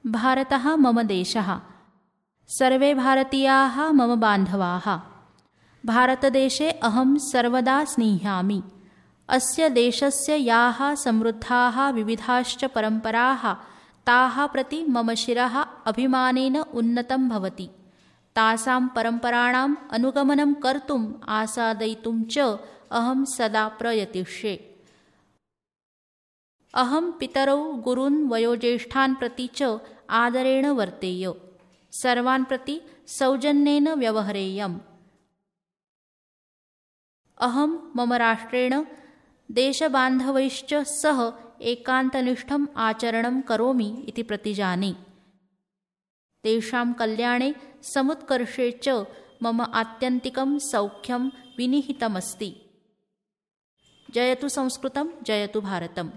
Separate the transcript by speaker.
Speaker 1: भारतः मम देशः। सर्वे भारतीयाः मम बान्धवाः। भारतदेशे अहं सर्वदा स्निह्यामि। अस्य देशस्य याः समृद्धाः विविधाश्च परम्पराः ताः प्रति मम शिरः अभिमानेन उन्नतं भवति। तासां परम्पराणाम् अनुगमनं कर्तुम् आसादयितुं च अहं सदा प्रयतिष्ये। अहं पितरौ गुरून् वयोज्येष्ठान् प्रति च आदरेण वर्तेय। सर्वान् प्रति सौजन्येन व्यवहरेयम्। अहं मम राष्ट्रेण देशबान्धवैश्च सह एकान्तनिष्ठम् आचरणं करोमि इति प्रतिजाने। तेषां कल्याणे समुत्कर्षे च मम आत्यन्तिकं सौख्यं विनिहितमस्ति। जयतु संस्कृतं, जयतु भारतम्।